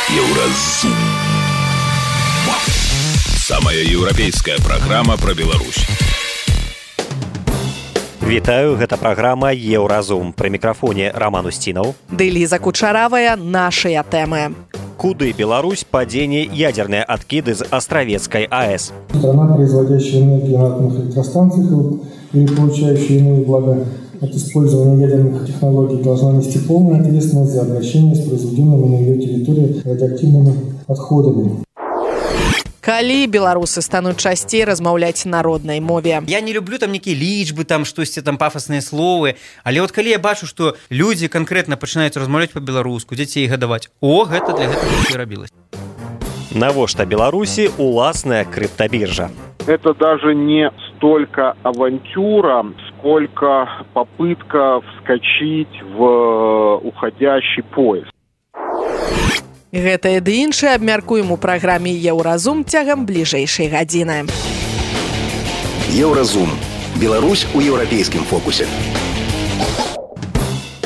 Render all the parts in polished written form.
Еўразум. Самая еўрапейская праграма пра Беларусь. Вітаю, гэта праграма «Еўразум». Пры мікрафоне Роман Устинов. Ды Лиза Кучаравая. Нашыя тэмы. Куды Беларусь падзене ядерные откиды из Островецкой АЭС? Страна, производящая энергию на атомных электростанциях и получающая иные блага от использования ядерных технологий, должна нести полную ответственность за обращение с произведенными на ее территории радиоактивными отходами. Калі беларусы стануць часцей размаўляць на роднай мове. Я не люблю там нейкія лічбы, там штосьці там пафасныя словы, але от калі я бачу, што людзі канкрэтна пачынаюць размаўляць па-беларуску, дзяцей гадаваць, гэта для гэтага і рабілася. Навошта Беларусі уласная криптобиржа? Это даже не столько авантюра, сколько попытка вскочить в уходящий поезд. Гэта і ды іншае абмяркуем у праграме «Еўразум» цягам бліжэйшай гадзіны. Еўразум. Беларусь у еўрапейскім фокусе.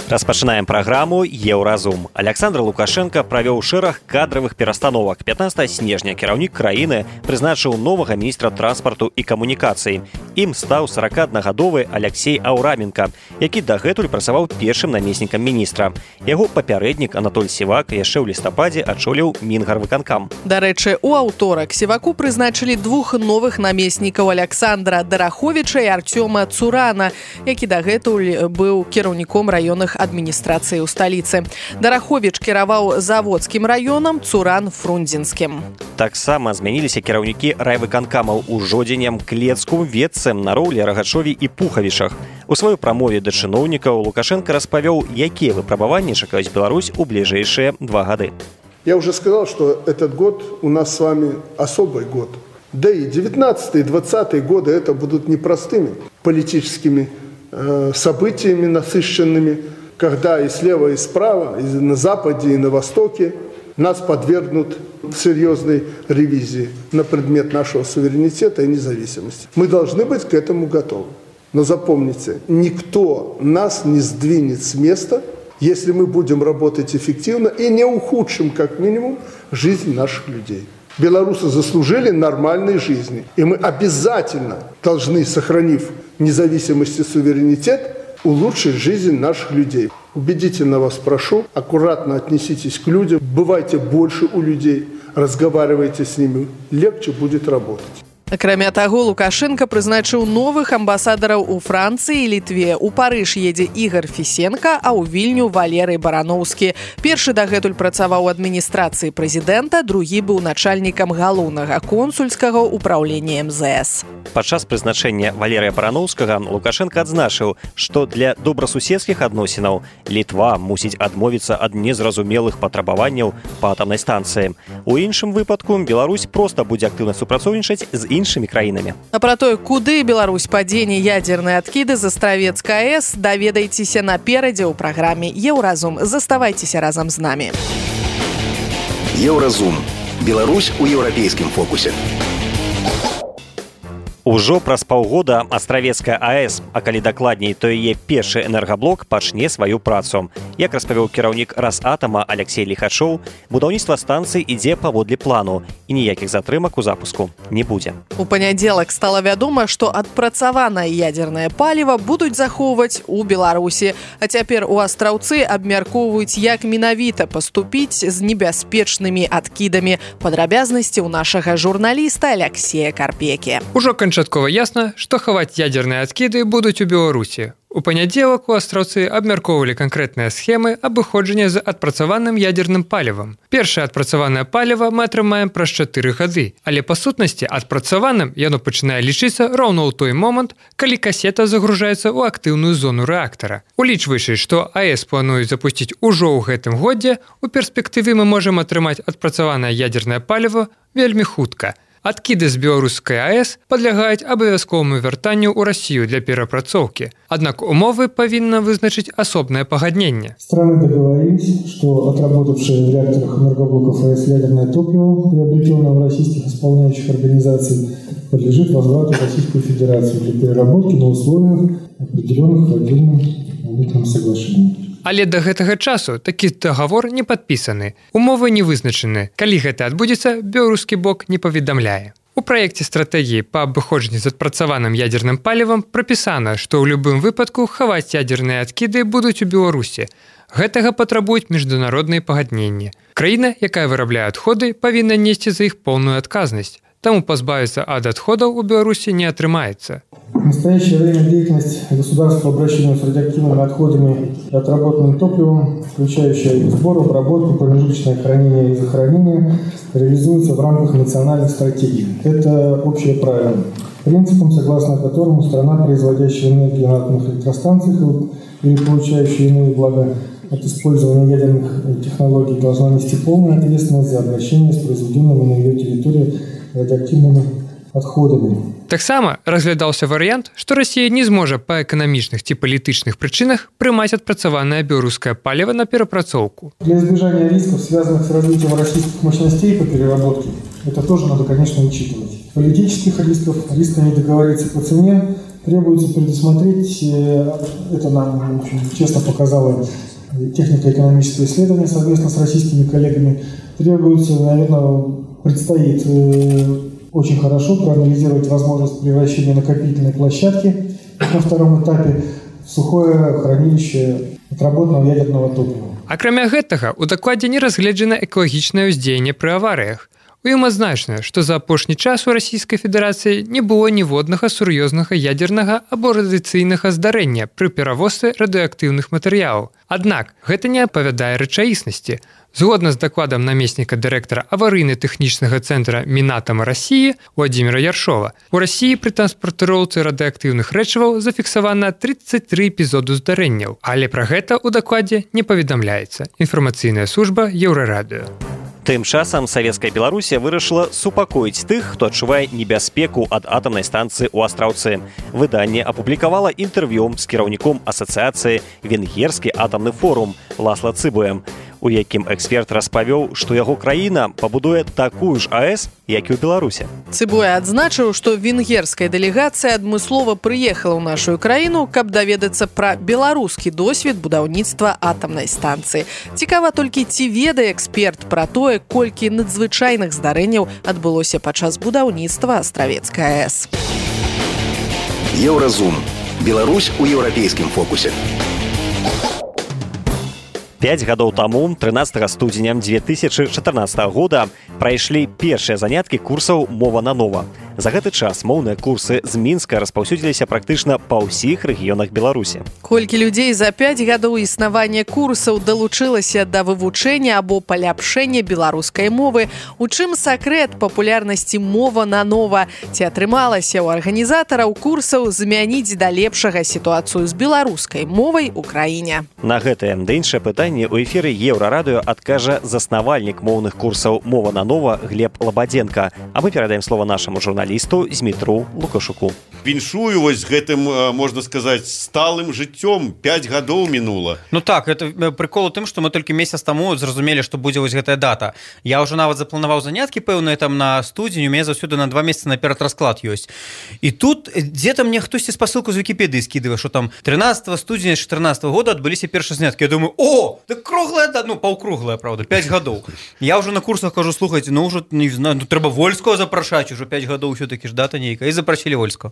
Распачынаем праграму «Еўразум». Александр Лукашенко правёў шэраг кадравых перастановак. 15 снежня кіраўнік краіны прызначыў новага міністра транспарту і камунікацыі. Ім стаў 41гадовы Алексей Аураменко, які дагэтуль працаваў першым намеснікам міністра. Яго папярэднік Анатоль Сівак яшчэ ў лістападзе ачоліў Мінгарвыканкам. Дарэчы, у аўторак Сіваку прызначылі двух новых намеснікаў Александра Дараховіча і Артёма Цурана, які дагэтуль быў кіраўніком раённых адміністрацыі ў сталіцы. Дараховіч кіраваў заводскім раёнам, Цуран – фрунзенскім. Таксама змяніліся кіраўнікі райвыканкамаў у Жодзінем, Клецку, Ветцы, Нароўлі, Рагачові і Пухавішах. У сваёй прамове да чыноўнікаў Лукашенко распавёў, якія выпрабаванні чакаюць Беларусь у бліжэйшыя 2 гады. Я уже сказал, что этот год у нас с вами особый год. Да и 19 и 20 годы это будут непростыми политическими событиями насыщенными, когда и слева, и справа, и на западе, и на востоке нас подвергнут серьезной ревизии на предмет нашего суверенитета и независимости. Мы должны быть к этому готовы. Но запомните, никто нас не сдвинет с места, если мы будем работать эффективно и не ухудшим, как минимум, жизнь наших людей. Белорусы заслужили нормальной жизни, и мы обязательно должны, сохранив независимость и суверенитет, улучшить жизнь наших людей. Убедительно вас прошу, аккуратно отнеситесь к людям, бывайте больше у людей, разговаривайте с ними, легче будет работать. Акрамя таго, Лукашенко прызначыў новых амбасадараў у Францыі і Літве. У Парыж едзе Ігор Фісенка, а ў Вільню Валерый Бараноўскі. Першы дагэтуль працаваў у адміністрацыі прэзідэнта, другі быў начальнікам галоўнага консульскага ўпраўлення МЗС. Падчас прызначэння Валерыя Бараноўскага Лукашенко адзначыў, што для добрасуседскіх адносінаў Літва мусіць адмовіцца ад незразумелых патрабаванняў па атамнай станцыі. У іншым выпадку Беларусь проста будзе актыўна супрацоўнічаць з іншымі краінамі. А пра тое, куды Беларусь падзене ядерныя адкіды з Островецкай АЭС, даведайцеся наперадзе ў праграме «Еўразум». Заставайцеся разам з намі. Еўразум. Беларусь у еўрапейскім фокусе. Ужо праз паўгода Островецкая АЭС, а калі дакладней, то яе першы энергаблок пачне сваю працу. Як распавёў кіраўнік Расатама Алексей Лихачоў, будаўніцтва станцыі ідзе паводле плану і ніякіх затрымак у запуску не будзе. У панядзелак стала вядома, што адпрацаванае ядернае паліва будуць захоўваць у Беларусі. А цяпер у Астраўцы абмяркоўваюць, як менавіта паступіць з небяспечнымі адкідамі. Падрабязнасці ў нашага журналіста Алексея Карпекі. Ужо канчаткова ясна, што хаваць ядерныя адкіды будуць у Беларусі. У панядзелак у Астраўцы абмяркоўвалі канкрэтныя схемы абыходжання з адпрацаваным ядерным палівам. Першае адпрацаванае паліва мы атрымаем праз 4 гады, але па сутнасці адпрацаваным яно пачынае лічыцца роўна ў той момант, калі касета загружаецца ў актыўную зону рэактара. Улічваючы, што АЭС плануюць запусціць ужо ў гэтым годзе, у перспектыве мы можам атрымаць адпрацаванае ядернае паліва вельмі хутка. Адкіды з беларускай АЭС падлягаюць абавязковаму вяртанню ў Расію для перапрацоўкі. Аднак умовы павінна вызначыць асобнае пагадненне. Страны договорились, что отработавшие в реакторах энергоблоков АЭС ядерное топливо, приобретенное в российских исполняющих организаций, подлежит возврату в Российскую Федерацию для переработки на условиях, определенных в отдельном митном соглашении. Але да гэтага часу такі дагавор не падпісаны. Умовы не вызначаны. Калі гэта адбудзецца, беларускі бок не паведамляе. У праекце стратэгіі па абыходжанні з адпрацаваным ядзерным палівам прапісана, што ў любым выпадку хаваць ядзерныя адкіды будуць у Беларусі. Гэтага патрабуюць міжнародныя пагадненні. Краіна, якая вырабляе адходы, павінна несці за іх поўную адказнасць. Таму пазбавіцца ад адходаў у Беларусі не атрымаецца. В настоящее время деятельность государства по обращению с радиоактивными отходами и отработанным топливом, включающая их сбор, обработку, промежуточное хранение и захоронение, реализуется в рамках национальных стратегий. Это общее правило, принципом, согласно которому страна, производящая энергию на атомных электростанциях или получающая иные блага от использования ядерных технологий, должна нести полную ответственность за обращение с произведенными на ее территории радиоактивными адходамі. Таксама разглядаўся варыянт, што Расія не зможа па эканамічных ці палітычных прычынах прымаць адпрацаванае беларускае паліва на перапрацоўку. Для избежания рисков, связанных с развитием российских мощностей по переработке, это тоже надо, конечно, учитывать. Политических рисков, риска не договориться по цене, требуется предусмотреть, это нам, в общем, честно показало технико-экономическое исследование совместно с российскими коллегами, требуется, наверное, предстоит очень хорошо проанализировать возможность превращения накопительной площадки на втором этапе в сухое хранилище отработанного ядерного топлива. Акрамя гэтага, у дакладзе не разгледжана экалагічнае ўздзеянне пры аварыях. У ім адзначана, што за апошні час у Расійскай Федэрацыі не было ніводнага сур'ёзнага ядзернага або радыяцыйнага здарэння пры перавозцы радыеактыўных матэрыялаў. Аднак, гэта не адпавядае рэчаіснасці. Згодна з дакладам намесніка дырэктара аварыйна-тэхнічнага цэнтра Мінатама Расіі Владзіміра Яршова, у Расіі пры транспартыроўцы радыеактыўных рэчываў зафіксавана 33 эпізоду здарэнняў, але пра гэта ў дакладзе не паведамляецца. Інфармацыйная служба Еўрарадыё. Тым часам савецкая Беларусія вырашыла супакоіць тых, хто адчувае небяспеку ад атамнай станцыі ў Астраўцы. Выданне апублікавала інтэрв'ю з кіраўніком асацыяцыі «Венгерскі атамны форум» Ласла Цыбуем, у якім эксперт распавёў, што яго краіна пабудуе такую ж АЭС, як і ў Беларусі. Цыбуя адзначыў, што венгерская дэлегацыя адмыслова прыехала ў нашу краіну, каб даведацца пра беларускі досвед будаўніцтва атамнай станцыі. Цікава толькі, ці ведае эксперт пра тое, колькі надзвычайных здарэнняў адбылося падчас будаўніцтва Астравецкай АЭС. Еўразум. Беларусь у еўрапейскім фокусе. 5 гадоў таму, 13 студзеня 2014 года, прайшлі першыя заняткі курсаў «Мова на нова». За гэты час моўныя курсы з Мінска распаўсюдзіліся практычна па ўсіх рэгіёнах Беларусі. Колькі людзей за 5 гадоў існавання курсаў далучылася да вывучэння або паляпшэння беларускай мовы, у чым сакрэт папулярнасці «Мова на нова», ці атрымалася ў арганізатараў курсаў змяніць да лепшага сітуацыю з беларускай мовай у краіне. На гэтае ды іншае пытанне ў эфіры Еўрарадыё адкажа заснавальнік моўных курсаў «Мова на нова» Глеб Лабадзенка. А мы перадаем слова нашаму журналісту Змітру Лукашуку. Віншую вось гэтым, можна сказаць, сталым жыццём. 5 гадоў мінула. Ну так, это прикол у тым, што мы толькі месяц таму зразумелі, што будзе вось гэтая дата. Я ўжо нават запланаваў заняткі пэўныя там на студзень, у мяне заўсёды на 2 месяцы наперад расклад ёсць. І тут дзе-то мне хтосьці спасылку з Вікіпедыі скідывае, што там 13 студзеня 2014 года адбыліся першыя заняткі. Я думаю, о, так круглая, ну паўкруглая, правда, 5 гадоў. Я ўжо на курсах кажу, слухайце, ну ўжо не знаю, ну трэба Вольского запрашаць, ужо 5 гадоў ўсё-такі ж дата нейкая, і запрасілі Вольского.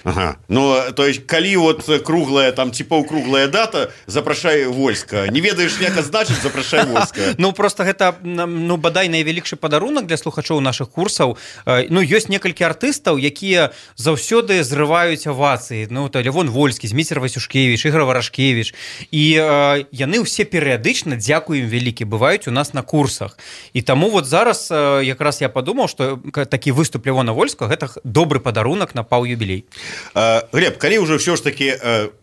Ага. Ну, то есть, калі вот круглая, там, ці паўкруглая дата, запрашай Вольска. Не ведаеш, як азначыць, запрашай Вольска. Ну, просто гэта, ну, бадай найвялікшы падарунак для слухачоў нашых курсаў. Ну, ёсць некалькі артыстаў, якія заўсёды зрываюць авацыі. Ну, то Лявон Вольскі, Зміцер Васюшкевіч, Ігор Варашкевіч. І яны ўсе перыядычна, дзякуй ім вялікі, бываюць у нас на курсах. І таму вот зараз якраз я падумаў, што такі выступ Лявона Вольскага гэта добры падарунак на паўюбілей. Глеб, калі ўжо ўсё ж такі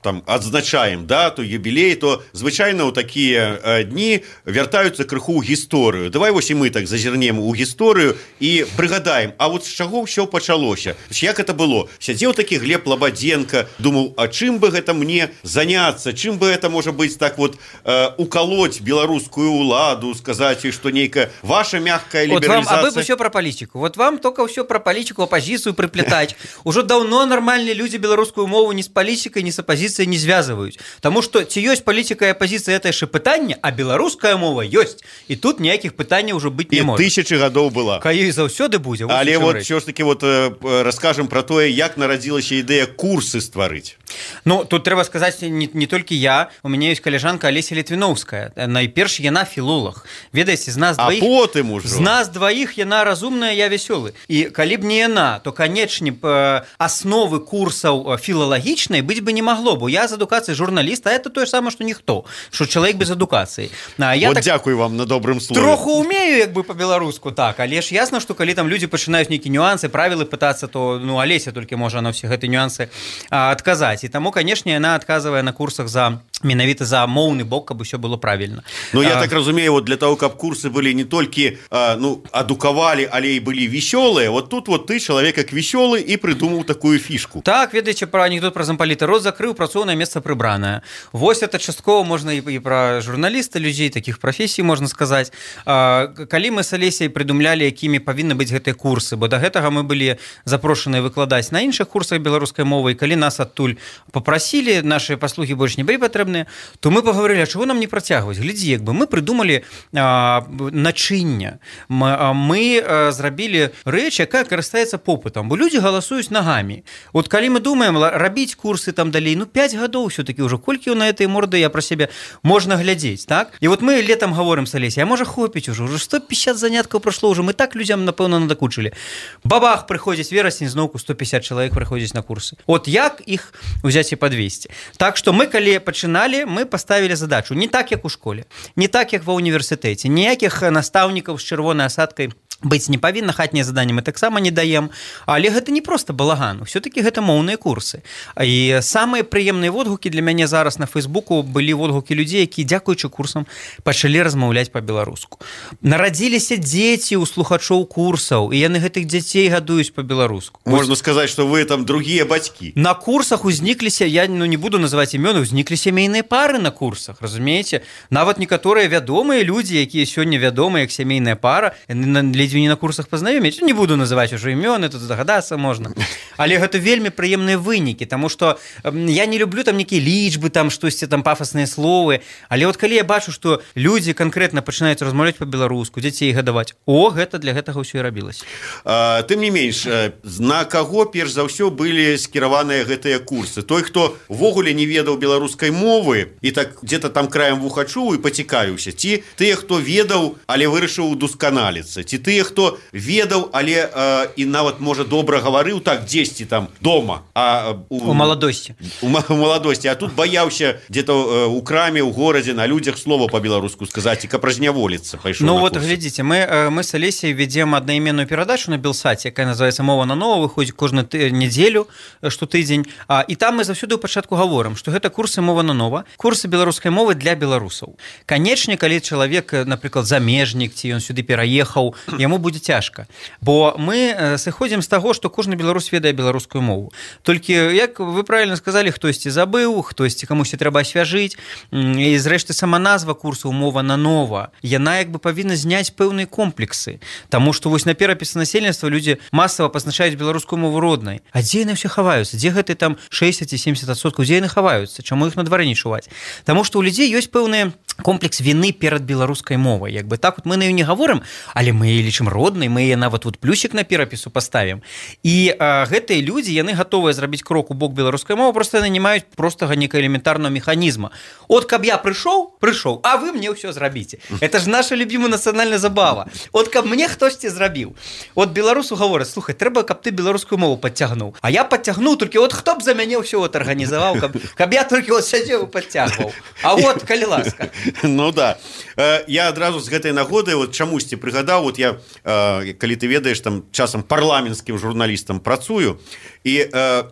там адзначаем дату, юбілей, то звычайна ў такія дні вяртаюцца крыху ў гісторыю. Давай вось і мы так зазірнем у гісторыю і прыгадаем, а вот з чаго ўсё пачалося? Як это было? Сядзеў такі Глеб Лабадзенка, думаў, а чым бы гэта мне заняцца? Чым бы это, можа быць, так вот укалоць беларускую ўладу, сказаць, што нейкая ваша мягкая лібералізацыя? Вот вам, а вы ўсё пра палітику. Вот вам только ўсё пра палітику, апозіцыю прыплетаць. Ужо даўно нармальныя людзі беларускую мову ні з палітыкай, ні з апазіцыяй не звязваюць. Таму што ці ёсць палітыка і апазіцыя, гэта яшчэ пытанне, а беларуская мова ёсць. І тут ніякіх пытанняў ўжо быць не можа. І тысячы гадоў была. Калі заўсёды будзе. Але вот ўсё ж таки раскажам пра тое, як нарадзілася ідэя курсы стварыць. Ну, тут трэба сказаць не толькі я, у мяне ёсць каляжанка Алеся Літвіноўская. Найперш яна філолог. Ведаеце, з нас дваіх. А потым ужо. З нас дваіх яна разумная, я вясёлы. І калі б не яна, то канечне асновы курсаў філалагічнай быць бы не магло, бо я з адукацыі журналіста, а это тое самае, што ніхто, што чалавек без адукацыі. Вот так дзякуй вам на добрым слове. Троху умею, як бы па-беларуску, так, але ж ясна, што калі там людзі пачынаюць нейкія нюансы, правілы пытацца, то Алеся толькі можа на ўсе гэтыя нюансы адказаць. І таму, канешне, яна адказвае на курсах менавіта за моўны бок, каб усё было правільна. Ну, я так разумею, вот для того, каб курсы былі не толькі адукавалі, але і былі весёлыя, вот тут вот ты, чалавек як весёлы, і прыдумаў такую фішку. Так, ведаеце, пра анекдот пра зампаліта. Рот закрыў, працоўнае месца прыбранае. Вось это часткова можна і пра журналіста, людзей, такіх прафесій, можна сказаць. Калі мы з Алесяй прыдумлялі, якімі павінны быць гэтыя курсы, бо да гэтага мы былі запрошаныя выкладаць на іншых курсах беларускай мовы, і калі нас адтуль папрасілі, нашы паслугі больш не былі патрэбныя, то мы паговорылі, а чаго нам не працягваць? Глядзі, як бы мы прыдумалі начынне. Мы зрабілі рэч, якая карыстаецца попытам, бо людзі галасуюць нагамі. Вот калі мы думаем рабіць курсы там далей, 5 гадоў ўсё-такі ўжо, колькі на этой морды я пра сябе можна глядзець, так? І вот мы летом гаворым з Алесяй, а можа хопіць ужо 150 заняткаў прайшло ўжо, мы так людзям, напэўна, надакучылі. Бабах, прыходзіць верасень, зноўку 150 чалавек прыходзіць на курсы. От як іх узяць і падвесці? Так што мы, калі пачыналі, мы паставілі задачу не так, як у школе, не так, як ва універсітэце, ніякіх настаўнікаў з чырвонай асадкай быць не павінна, хатнія заданні мы таксама не даем, але гэта не проста балаган, усё-такі гэта моўныя курсы. І самыя прыемныя водгукі для мяне зараз на Фейсбуку былі водгукі людзей, якія, дзякуючы курсам, пачалі размаўляць па-беларуску. Нарадзіліся дзеці ў слухачоў курсаў, і яны гэтых дзяцей гадуюць па-беларуску. Можна сказаць, што вы там другія бацькі. На курсах узнікліся, я не буду называць імёны, узніклі сямейныя пары на курсах, разумееце? Нават некаторыя вядомыя людзі, якія сёння вядомыя як сямейная пара, не на курсах пазнаёміць, не буду называць ужо імёны, тут здагадацца можна. Але гэта вельмі прыемныя вынікі, таму што я не люблю там нейкія лічбы, там штосьці там пафасныя словы, але вот калі я бачу, што людзі канкрэтна пачынаюць размаўляць па-беларуску, дзяцей гадаваць, гэта для гэтага ўсё і рабілася. Тым не менш, на каго перш за ўсё былі скіраваныя гэтыя курсы? Той, хто ввогуле не ведаў беларускай мовы і так дзе-то там краем вуха чуў і пацікавіўся, ці тыя, хто ведаў, але вырашыў удасканаліцца, ці тыя, хто ведаў, але і нават, можа, добра гаварыў так дзесьці там дома, у маладосці. У маладосці, а тут баяўся дзе-то у краме, у горадзе, на людзях слова па-беларуску сказаць, і каб разняволіцца пайшоў на курсы. Вот, глядзіце, мы з Алесяй ведзем аднайменную перадачу на Белсаце, якая называецца «Мова на нова», выходзіць кожную нядзелю, штотыдзень, і там мы заўсёды ў пачатку гаворым, што гэта курсы «Мова на нова», курсы беларускай мовы для беларусаў. Канечне, калі чалавек, напрыклад, замежнік, ці ён сюды пераехаў, яму будзе цяжка, бо мы сыходзім з таго, што кожны беларус ведае беларускую мову. Толькі, як вы правільна сказалі, хтосьці забыў, хтосьці камусьці трэба асвяжыць, і зрэшты сама назва курсу «Мова на нова», яна як бы павінна зняць пэўныя комплексы, таму што вось на перапісы насельніцтва людзі масава пазначаюць беларускую мову роднай. А дзе яны ўсе хаваюцца? Дзе гэты там 60 ці 70%? Дзе яны хаваюцца? Чаму іх на дварэ не чуваць? Таму што ў людзей ёсць пэўны комплекс віны перад беларускай мовай. Як бы так вот мы на ёй не гаворым, але мы яе лічым роднай, мы яе нават вот плюсік на перапісу паставім. І гэтыя людзі, яны гатовыя зрабіць крок у бок беларускай мовы, проста яны не маюць простага нейкага элементарнага механізма. От каб я прыйшоў, а вы мне ўсё зрабіце. Это ж наша любімая нацыянальная забава. От каб мне хтосьці зрабіў. От беларусу гавораць, слухай, трэба, каб ты беларускую мову падцягнуў. А я падцягнуў, толькі от хто б за мяне ўсё вот арганізаваў, каб я толькі вот сядзеў і падцягваў. А вот, калі ласка. Ну да. Я адразу з гэтай нагоды вот чамусьці прыгадаў, вот я, калі ты ведаеш, там часам парламенцкім журналістам працую, і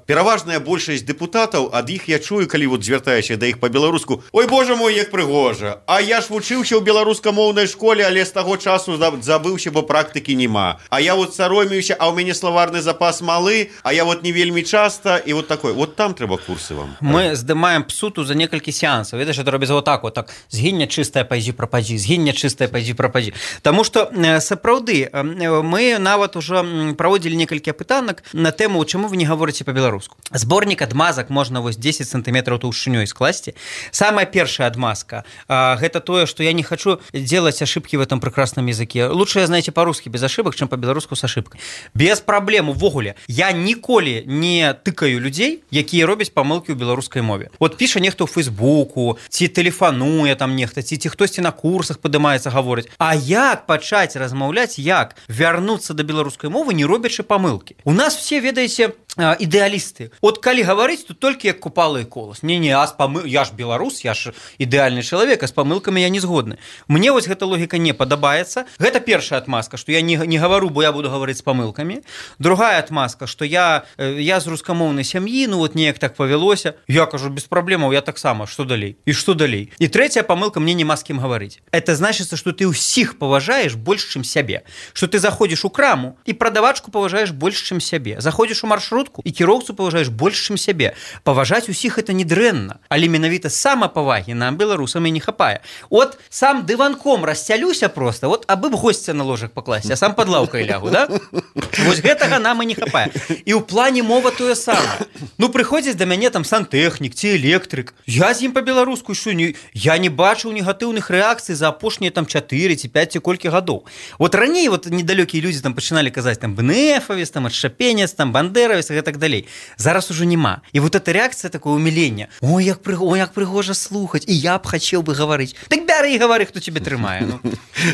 пераважная большасць дэпутатаў, ад іх я чую, калі вот звяртаюся да іх па-беларуску: ой, боже мой, як прыгожа, а я ж вучыўся ў беларускамоўнай школе, але з таго часу забыўся, бо практыкі няма. А я вот саромеюся, а ў мяне словарны запас малы, а я вот не вельмі часта, і вот такое. Вот там трэба курсы вам. Мы здымаем псуту за некалькі сеансаў. Ведаеш, это робіцца вот так, згіння чыстая, пайдзі прападзі, згіння чыстая, пайдзі прападзі. Таму што сапраўды мы нават ужо праводзілі некалькі апытанак на тэму, чаму вы не гаворыце па-беларуску. Зборнік адмазак можна вось 10 сантиметраў таўшчынёй скласці. Самая першая адмазка гэта тое, што я не хочу делать ошибки в этом прекрасном языке. Лучше, знаете, по-русски без ошибок, чем по-беларуску с ошибкой. Без проблем увогуле. Я ніколі не тыкаю людзей, якія робяць памылкі ў беларускай мове. Вот піша нехто ў Фейсбуку, ці тэлефануе там нехта, ці хтосьці на курсах падымаецца гаворыць. А як пачаць размаўляць, як вярнуцца да беларускай мовы, не робячы памылкі? У нас все, ведаеце, ідэалісты. От калі гаварыць, то толькі як Купала і Колас. Не-не, я ж беларус, я ж ідэальны чалавек, а з памылкамі я не згодны. Мне вось гэта логіка не падабаецца. Гэта першая адмазка, што я не гавару, бо я буду гаварыць з памылкамі. Другая адмазка, што я з рускамоўнай сям'і, ну вот неяк так павялося. Я кажу, без праблемаў, я таксама, што далей? І што далей? І трэцяя памылка, мне няма з кім гаварыць. Это значыцца, што ты ўсіх паважаеш больш, чым сябе. Што ты заходзіш у краму і прадавачку паважаеш больш, чым сябе. Заходзіш у маршрутку і кіроўцу паважаеш больш, чым сябе. Паважаць усіх это не дрэнна, але менавіта самапавагі нам, беларусам, і не хапае. От сам дыванком расцялюся просто, вот абы б госця на ложак пакласці, а сам пад лаўкай лягу, да? Вось гэтага нам і не хапае. І ў плане мова тое самае. Ну, прыходзіць да мяне там сантэхнік ці электрык. Я з ім па-беларуску, що я не бачыў негатыўных рэакцый за апошнія там 4 ці 5 ці колькі гадоў. Вот раней вот недалёкія людзі там пачыналі казаць там БНФавец, там адшчапенец, там бандеравец і так далей. Зараз ужо няма. І вот эта рэакцыя, такое умиление. Ой, як прыгожа слухаць, і я б хацеў бы гаварыць. Так бяры і гавары, хто тебе трымае. Ну.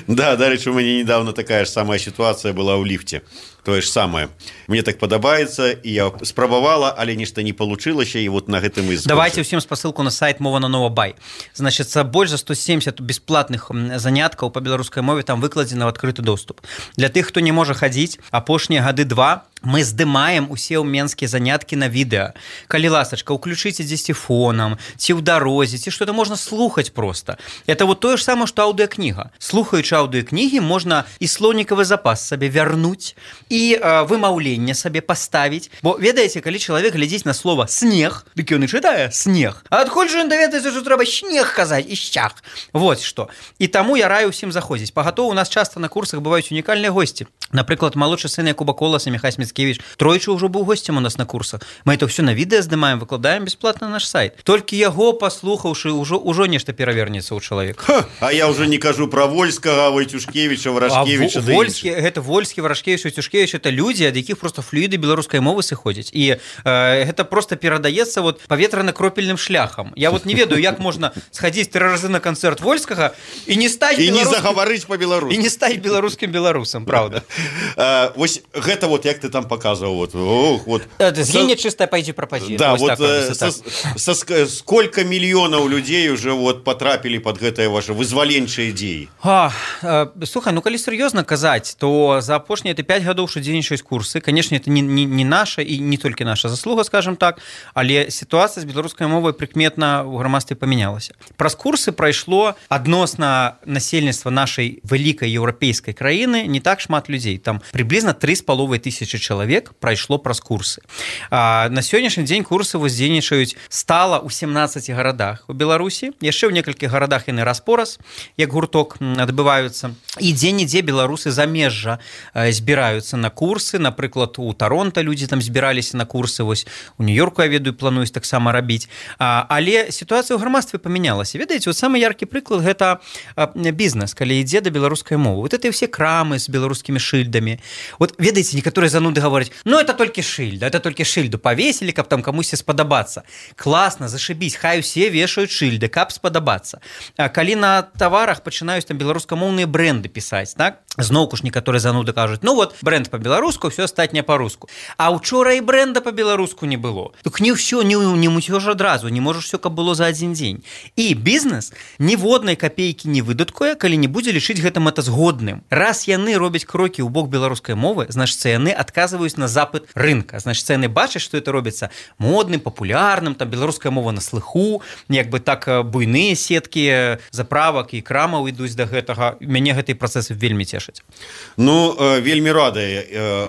Да, дарэчы, у мяне недавно такая ж самая ситуация была ў ліфте. Тое ж самае. Мне так падабаецца, і я спрабавала, але нешта не получылася, і вот на гэтым і скончыў. Давайте ўсім спасылку на сайт Мова на Нова Бай. Значит, больш за 170 бесплатных заняткаў па беларускай мове там выкладзена ў адкрыты доступ. Для тых, хто не можа хадзіць, апошнія гады 2 мы здымаем усе менскія заняткі на відэа. Калі ласачка, уключыце дзесьці фонам, ці ў дарозе, ці што-то можна слухаць просто. Это вот тое ж самае, што аўдыокніга. Слухаючы аўдыокнігі, можна і слоўнікавы запас сабе вярнуць, і вымаўленне сабе паставіць. Бо, ведаеце, калі чалавек глядзіць на слова «снег», дык ён і чытае «снег». А адкуль жа ён даведаецца, што трэба «снег» казаць і «щах». Вот што. І таму я раю ўсім заходзіць. Пагатоў у нас часта на курсах бываюць унікальныя госці. Напрыклад, малодшы сын Якуба Коласа, Міхась Міцкевіч, тройчы ўжо быў госцем у нас на курсах. Мы это ўсё на відэа здымаем, выкладаем бесплатна на наш сайт. Толькі яго паслухаўшы, ўжо нешта перавернецца ў чалавека. А я ўжо не кажу пра Вольскага, Войцюшкевіча, Варашкевіча. Гэта Вольскі, Варашкевіч, Войцюшкевіч, это людзі, ад якіх просто флюіды беларускай мовы сыходзяць. І гэта просто перадаецца вот паветрана-кропельным шляхам. Я вот не ведаю, як можна схадзіць 3 разы на канцэрт Вольскага і не стаць і не загаварыць па-беларуску. І не стаць беларускім беларусам, правда. Вось гэта вот як ты там показывал, вот. Згине чистая, пойди пропади. Да, вот сколько миллионов людей уже вот потрапили под гэтае ваше вызваленчыя ідеі? Слухай, ну калі сур'ёзна казаць, то за апошнія 5 гадоў, што дзейнічаюць курсы, конечно, это не наша і не толькі наша заслуга, скажем так, але сітуацыя з беларускай мовай прыкметна ў грамадстве памянялася. Праз курсы прайшло адносна насельніцтва нашай вялікай еўрапейскай краіны не так шмат людзей. Там приблизно 3,5 тысячи чалавек прайшло праз курсы. На сённяшні дзень курсы дзейнічаюць стала ў 17 гарадах у Беларусі, яшчэ ў некалькіх гарадах яны раз-пораз, як гурток адбываюцца. І дзе-нідзе беларусы замежжа збіраюцца на курсы, напрыклад, у Таронта людзі там збіраліся на курсы, вось у Нью-Йорку, я ведаю, плануюць таксама рабіць. Але сітуацыя ў грамадстве памянялася. Ведаеце, вот самы яркі прыклад гэта бізнес, калі ідзе да беларускай мовы. Вот это ўсе крамы з беларускімі шыльдамі. Вот ведаеце, некаторыя зануды гавораць: "Ну это толькі шыльда, это толькі шыльду павесілі, каб там камусьці спадабацца". Класна, зашибісь, хай усе вешаюць шыльды, каб спадабацца. Калі на таварах пачынаюць там беларускамоўныя бренды пісаць, так? Зноўку ж некаторыя зануды кажуць: "Ну вот, бренд па-беларуску, ўсё астатняе па-руску". А учора і бренда па-беларуску не было. Так не ўсё, не муцёж адразу, не можаш усё, каб было за адзін дзень. І бізнес ніводнай капейкі не выдаткуе, калі не будзе лічыць гэта мэтазгодным. Раз яны робяць крокі ў бок беларускай мовы, значыцца яны адказваюць на запыт рынка. Значыцца яны бачаць, што это робіцца модным, папулярным, там беларуская мова на слыху, як бы так буйныя сеткі заправак і крамаў ідуць да гэтага. Мяне гэтыя працэсы вельмі цешаць. вырашыць. Ну, вельмі рады.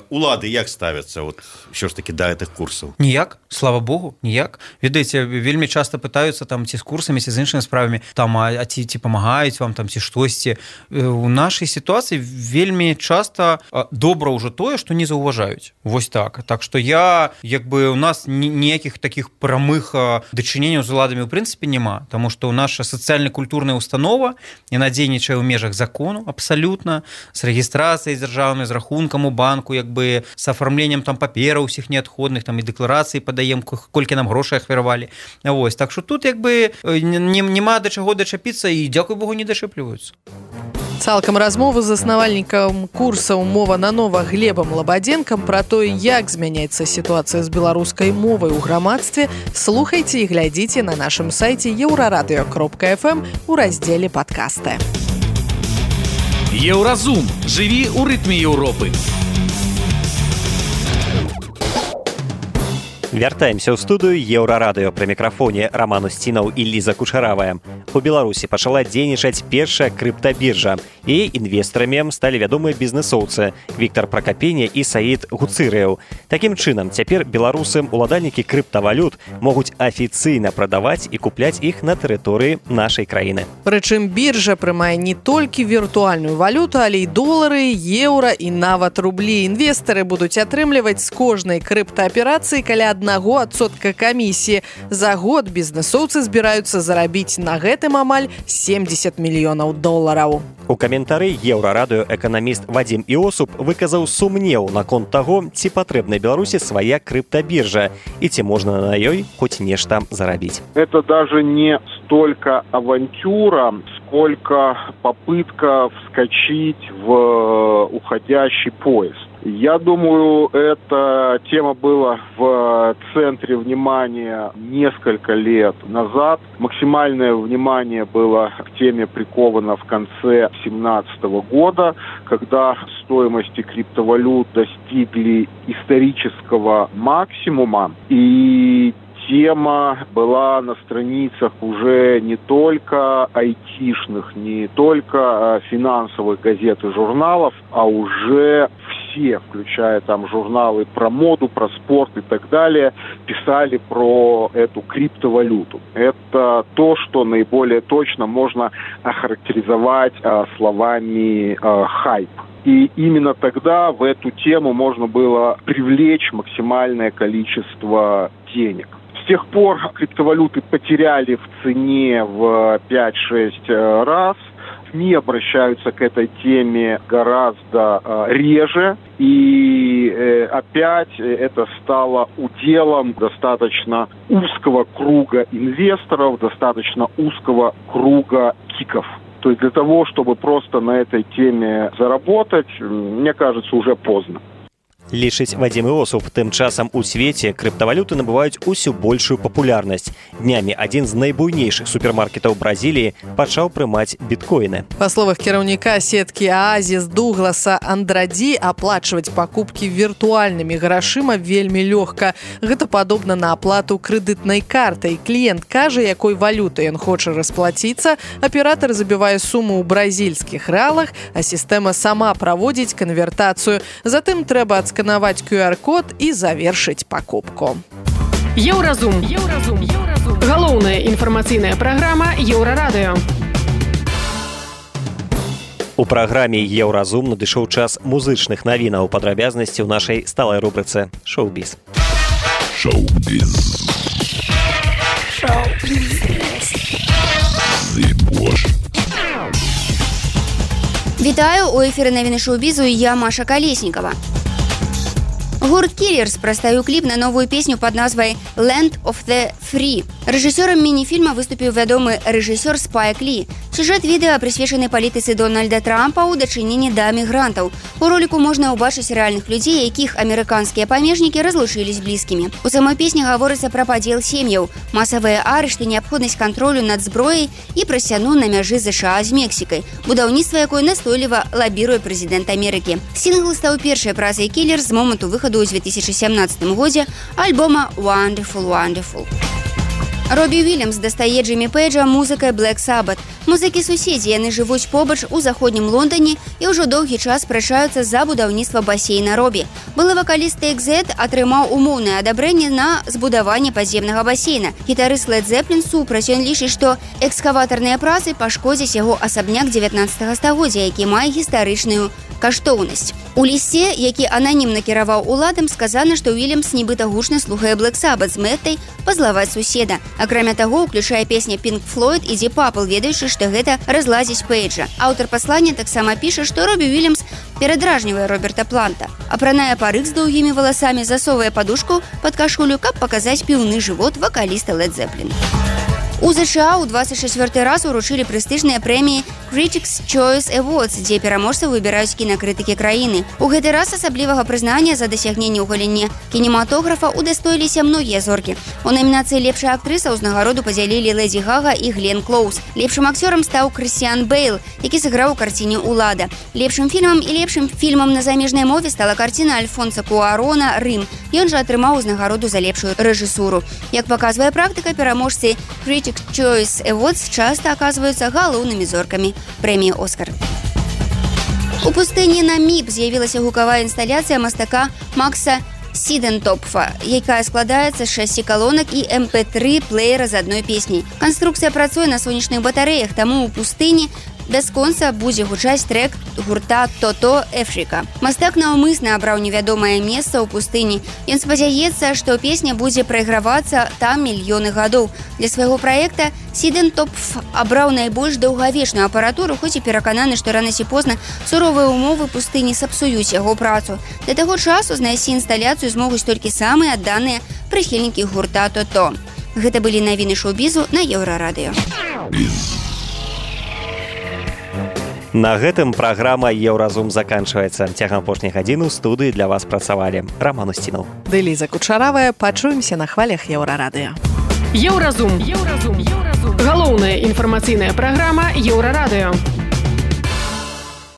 Улады як ставяцца вот, ўсё ж таки да гэтых курсаў? Ніяк, слава богу, ніяк. Ведаеце, вельмі часта пытаюцца там ці з курсамі, ці з іншымі справамі, там, ці памагаюць вам, там, ці штосьці. У нашай сітуацыі вельмі часта добра ўжо тое, што не заўважаюць. Вось так. Так што у нас ніякіх такіх прамых дачыненняў з уладамі ў прынцыпе няма, таму што наша сацыяльна-культурная установа, яна дзейнічае ў межах закону абсалютна, з рэгістрацыяй дзяржаўнай, з рахункам у банку, з афармленнем там папераў усіх неадходных, там і дэкларацыі падаем, колькі нам грошай ахвяравалі. Вось, так што тут няма да чаго дачапіцца і, дзякуй Богу, не дачэпліваюцца. Цалкам размову з заснавальнікам курсаў «Мова на нова» Глебам Лабадзенкам пра тое, як змяняецца сітуацыя з беларускай мовай у грамадстве, слухайце і глядзіце на нашым сайце euradio.fm у раздзеле «Падкасты». Еўразум. Жыві ў рытме Еўропы. Вяртаемся ў студыю Еўрарадыё. Пры мікрафоне Роман Устінаў і Ліза Кучаравая. У Беларусі пачала дзейнічаць першая крыптабіржа. І інвестарамі сталі вядомыя бізнэсоўцы Віктар Пракапеня і Саід Гуцырыяў. Такім чынам, цяпер беларусы, уладальнікі крыптавалют, могуць афіцыйна прадаваць і купляць іх на тэрыторыі нашай краіны. Прычым біржа прымае не толькі віртуальную валюту, але і долары, еўра і нават рублі. Інвестары будуць атрымліваць з кожнай крыптааперацыі каля 1% камісіі. За год бізнэсоўцы збіраюцца зарабіць на гэтым амаль $70 мільёнаў. У каментары Еўрарадыё эканаміст Вадзім Іосуп выказаў сумнеў наконт таго, ці патрэбна Беларусі свая крыптабіржа і ці можна на ёй хоць нешта зарабіць. Это даже не столько авантюра, сколько попытка вскочить в уходящий поезд. Я думаю, эта тема была в центре внимания несколько лет назад. Максимальное внимание было к теме приковано в конце 2017 года, когда стоимости криптовалют достигли исторического максимума. И тема была на страницах уже не только айтишных, не только финансовых газет и журналов, а уже все, включая там журналы про моду, про спорт и так далее, писали про эту криптовалюту. Это то, что наиболее точно можно охарактеризовать словами хайп. И именно тогда в эту тему можно было привлечь максимальное количество денег. С тех пор криптовалюты потеряли в цене в 5-6 раз. СМИ обращаются к этой теме гораздо реже. И опять это стало уделом достаточно узкого круга инвесторов, достаточно узкого круга киков. То есть для того, чтобы просто на этой теме заработать, мне кажется, уже поздно. Лічыць Вадзім Іосуп. Тым часам у свеце крыптавалюты набываюць усё большую папулярнасць. Днямі адзін з найбуйнейшых супермаркетаў Бразіліі пачаў прымаць біткоіны. Па словах кіраўніка сеткі Аазіс Дугласа Андрадзі, аплачваць пакупкі віртуальнымі грашыма вельмі лёгка. Гэта падобна на аплату крэдытнай картай. Кліент кажа, якой валютай ён хоча расплаціцца, аператар забівае суму ў бразільскіх рэалах, а сістэма сама праводзіць канвертацыю. Затым трэба сканаваць QR-код і завершыць пакупку. Еўразум. Галоўная інфармацыйная праграма Еўрарадыё. У праграме Еўразум надышоў час музычных навінаў, падрабязнасці ў нашай сталай рубрыцы «Шоу-біз». Вітаю, у эфіры навіны шоу-бізу, я Маша Калеснікава. Гурт Killers прадставіў кліп на новую песню пад назвай «Land of the Free». Рэжысёрам міні-фільма выступіў вядомы рэжысёр Спайк Лі. Сюжэт відэа прысвечаны палітыцы Дональда Трампа ў дачыненні да мігрантаў. У роліку можна ўбачыць рэальных людзей, якіх амерыканскія памежнікі разлучылі з блізкімі. У самой песні гаворыцца пра падзел сем'яў, масавыя арышты, неабходнасць кантролю над зброяй і пра сцяну на мяжы США з Мексікай, будаўніцтва якой настойліва лабіруе прэзідэнт Амерыкі. Сінгл стаў першай працай Killers з моманту выхаду ў 2017 годзе альбома «Wonderful, Wonderful». Робі Вільямс дастае Джиммі Пейджа музыкай Black Sabbath. Музыкі-суседзі, яны жывуць побач у заходнім Лондоне і ўжо доўгі час спрачаюцца за будаўніцтва басейна Робі. Былы вакаліст Take-Z атрымаў умоўнае адабрэнне на збудаванне падземнага басейна. Гітарыст Led Zeppelin супраць, ён лічыць, што экскаватарныя працы пашкодзяць яго асабняк 19 стагоддзя, які мае гістарычную каштоўнасць. У лісце, які ананімна кіраваў уладам, сказана, што Вільямс нібыта гучна слухае Black Sabbath з мэтай пазлаваць суседа. Акрамя таго, уключае песня Pink Floyd і Deep Purple, ведаючы, што гэта разладзіць Пейджа. Аўтар паслання таксама піша, што Робі Вільямс перадражнівае Роберта Планта. Апранае парык з доўгімі валасамі, засовае падушку пад кашулю, каб паказаць піўны жывот вакаліста Led Zeppelin. У ЗША ў 24 раз уручылі прэстыжныя прэміі Critics' Choice Awards, дзе пераможцаў выбіраюць кінакрытыкі краіны. У гэты раз асаблівага прызнання за дасягненне ў галіне кінематографа удастоіліся многія зоркі. У намінацыі «Лепшая актрыса» ўзнагароду падзялілі Лэдзі Гага і Глен Клоуз. Лепшым акцёрам стаў Крысціан Бэйл, які сыграў у карціне «Улада». Лепшым фільмам і лепшым фільмам на замежнай мове стала карціна Альфонса Куарона «Рым». Ён жа атрымаў узнагароду за лепшую рэжысуру. Як паказвае практыка, пераможцы Critics' Choice Awards часта аказваюцца галоўнымі зоркамі прэміі «Оскар». У пустыні Наміб з'явілася гукавая інсталяцыя мастака Макса Сідентопфа, якая складаецца з 6 калонак і MP3 плеера з адной песняй. Канструкцыя працуе на сонечных батарэях, таму ў пустыні бясконца будзе гучаць трэк гурта «Тото Эфрика». Мастак наўмысна абраў невядомае месца ў пустыні. Ён спадзяецца, што песня будзе прайгравацца там мільёны гадоў. Для свайго праекта Сідентопф абраў найбольш даўгавечную апаратуру, хоць і перакананы, што рана ці позна суровыя умовы пустыні сапсуюць яго працу. Да таго часу знайсці інсталяцыю змогуць толькі самыя адданыя прыхільнікі гурта «Тото». Гэта былі навіны шоу-бізу на Еўрарадыё. На гэтым праграма «Еўразум» заканчваецца. Цягам апошняй гадзіны ў студыі для вас працавалі Роман Устінаў. Ды Ліза Кучаравая. Пачуемся на хвалях Еўрарадыё. Еўразум. Галоўная інфармацыйная праграма Еўрарадыё.